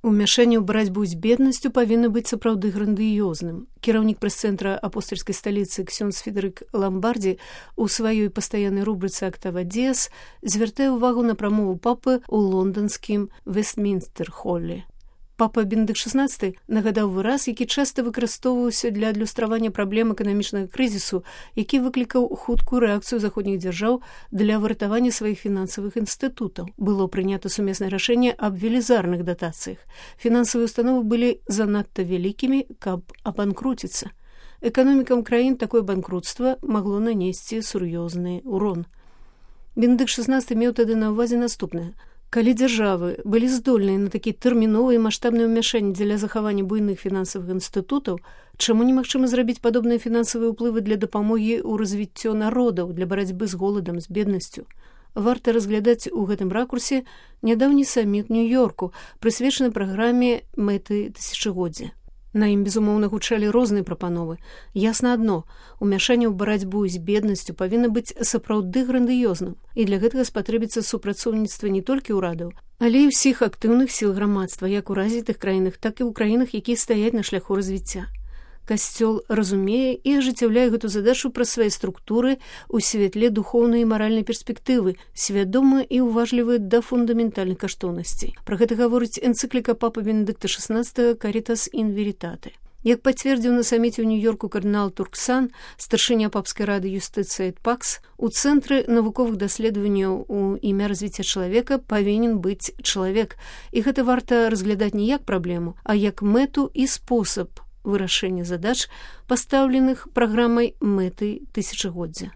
Умяшанне ў барацьбу з беднасцю павінна быць сапраўды грандыёзным. Кіраўнік прэс-цэнтра апостальскай сталіцы ксёндз Федэрык Ламбардзі ў сваёй пастаяннай рубрыцы «Октава Диас» звяртае ўвагу на прамову папы ў лонданскім Вестмінстэр-холле. Папа Бенедыкт XVI нагадаў выраз, які часта выкарыстоўваўся для адлюстравання праблем эканамічнага крызісу, які выклікаў хуткую рэакцыю заходніх дзяржаў для выратавання сваіх фінансавых інстытутаў. Было прынята сумеснае рашэнне аб велізарных датацыях. Фінансавыя установы былі занадта вялікімі, каб абанкруціцца. Эканомікам краін такое банкрутства магло нанесці сур'ёзны ўрон. Бенедыкт XVI меў тады на ўвазе наступнае. Калі дзяржавы былі здольныя на такі тэрміновы і маштабны ўмяшанні дзеля захавання буйных фінансавых інстытутаў, чаму немагчыма зрабіць падобныя фінансавыя ўплывы для дапамогі ў развіццё народаў, для барацьбы з голадам, з беднасцю? Варта разглядаць у гэтым ракурсе нядаўні саміт Нью-Йорку, прысвечаны праграме мэты тысячагоддзя. На ім, безумоўна, гучалі розныя прапановы. Ясна адно, умяшанне ў барацьбу з беднасцю павінна быць сапраўды грандыёзным, і для гэтага спатрэбіцца супрацоўніцтва не толькі ўрадаў, але і ўсіх актыўных сіл грамадства, як у развітых краінах, так і ў краінах, якія стаяць на шляху развіцця. Касцёл разумее і ажыццяўляе гэту задачу праз свае структуры ў святле духоўнай і маральнай перспектывы, свядома і ўважлівы да фундаментальных каштоўнасцей. Пра гэта гаворыць энцыкліка папы Бенедыкта XVI «Caritas in Veritate». Як пацвердзіў на саміце ў Нью-Йорку кардынал Турксан, старшыня папскай рады Юстыцыя эт Пакс, у цэнтры навуковых даследаванняў у імя развіцця чалавека павінен быць чалавек. І гэта варта разглядаць не як праблему, а як мэту і спосаб вырашэння задач, пастаўленых праграмай мэты тысячагоддзя.